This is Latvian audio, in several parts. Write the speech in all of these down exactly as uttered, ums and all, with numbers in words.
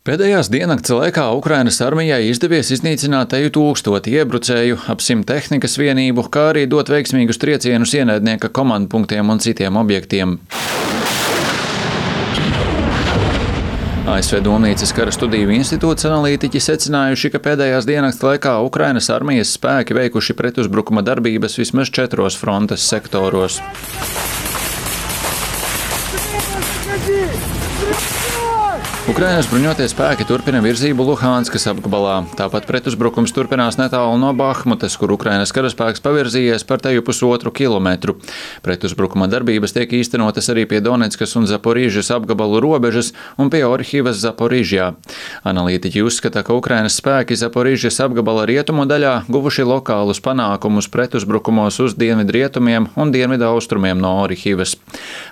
Pēdējās diennakts laikā Ukrainas armijai izdevies iznīcināt teju tūkstoti iebrucēju, ap simt tehnikas vienību, kā arī dot veiksmīgus triecienus ienaidnieka komandpunktiem un citiem objektiem. A S V Domnīcas kara studiju institūts analītiķi secinājuši, ka pēdējās diennakts laikā Ukrainas armijas spēki veikuši pretuzbrukuma darbības vismaz četros frontes sektoros. Ukrainas bruņotie spēki turpina virzību Luhanskas apgabalā. Tāpat pretuzbrukums turpinās netālu no Bahmutas, kur Ukrainas karaspēks pavirzījies par teju pusotru kilometru. Pretuzbrukuma darbības tiek īstenotas arī pie Doneckas un Zaporīžas apgabalu robežas un pie Orhivas Zaporīžjā. Analītiķi uzskata, ka Ukrainas spēki Zaporīžas apgabala rietumu daļā guvuši lokālus panākumus pretuzbrukumos uz dienvidrietumiem un dienvidaustrumiem no Orhivas.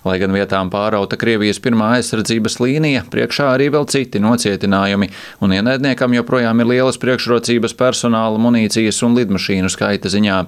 Lai gan vietām pārauta Krievijas pirmā aizsardzības līnija, priekšā arī vēl citi nocietinājumi, un ienaidniekam joprojām ir lielas priekšrocības personāla, munīcijas un lidmašīnu skaita ziņā.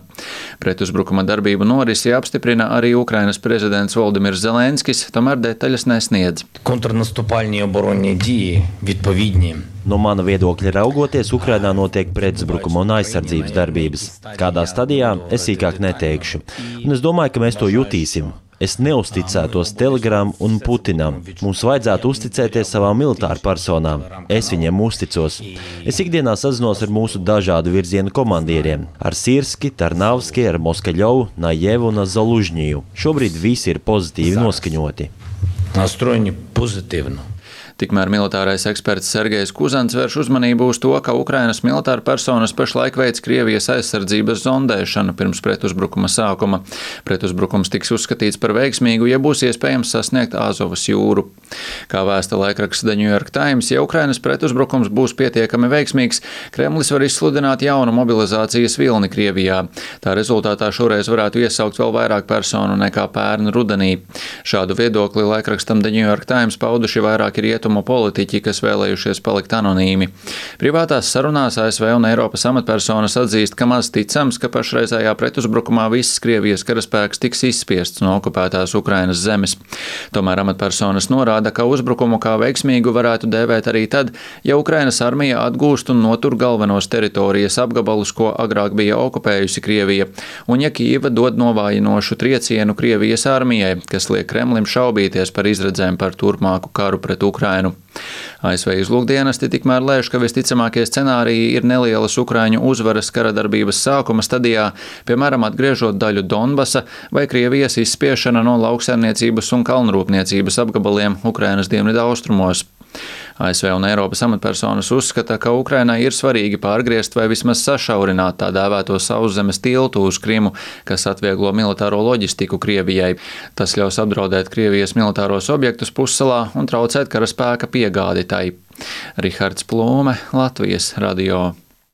Pretuzbrukuma darbību norisi apstiprina arī Ukrainas prezidents Voldimirs Zelenskis, tomēr detaļas nesniedz. Kontrnastupальні оборонні дії відповідні. No mana viedokļa raugoties, Ukrainā notiek pretuzbrukuma un aizsardzības darbības. Kādā stadijā es sīkāk neteikšu. Un es domāju, ka mēs to jutīsim. Es neusticētos Telegram un Putinam. Mums vajadzētu uzticēties savām militāru personām. Es viņiem uzticos. Es ikdienā sazinos ar mūsu dažādu virzienu komandieriem. Ar Sirski, Tarnavski, ar Moskaļovu, Najevu un Zalužņiju. Šobrīd visi ir pozitīvi noskaņoti. Nastrojeni pozitīvi. Tikmēr militārais eksperts Sergejs Kuzans vērš uzmanību uz to, ka Ukrainas militāra personas pašlaik veic Krievijas aizsardzības zondēšanu pirms pretuzbrukuma sākuma. Pretuzbrukums tiks uzskatīts par veiksmīgu, ja būs iespējams sasniegt Azovas jūru. Kā vēsta laikraksts The New York Times, ja Ukrainas pretuzbrukums būs pietiekami veiksmīgs, Kremlis var izsludināt jaunu mobilizācijas vilni Krievijā. Tā rezultātā šoreiz varētu iesaukt vēl vairāk personu nekā pērn rudenī. Šādu viedokli laikrakstam The New York Times pauduši vairāki rietumu politiķi, kas vēlējušies palikt anonīmi. Privātās sarunās A S V un Eiropas amatpersonas atzīst, ka maz ticams, ka pašreizējā pretuzbrukumā viss Krievijas karaspēks tiks izspiests no okupētās Ukrainas zemes. Tomēr amatpersonas norāda, ka uzbrukumu kā veiksmīgu varētu dēvēt arī tad, ja Ukrainas armija atgūst un notur galvenos teritorijas apgabalus, ko agrāk bija okupējusi Krievija, un ja Kijeva dod novājinošu triecienu Krievijas armijai, kas liek Kremlim šaubīties par izredzēm par turpmāku karu pret Ukrainu. A S V izlūkdienesti tikmēr lēš, ka visticamākie scenāriji ir nelielas Ukraiņu uzvaras kara darbības sākuma stadijā, piemēram, atgriežot daļu Donbasa vai Krievijas izspiešana no lauksaimniecības un kalnrūpniecības apgabaliem Ukrainas dienvidu austrumos. A S V un Eiropas amatpersonas uzskata, ka Ukrainai ir svarīgi pārgriezt vai vismaz sašaurināt tā dēvēto sauszemes tiltu uz Krimu, kas atvieglo militāro loģistiku Krievijai. Tas ļaus apdraudēt Krievijas militāros objektus pussalā un traucēt karaspēka piegādi tai. Rihards Plūme, Latvijas radio.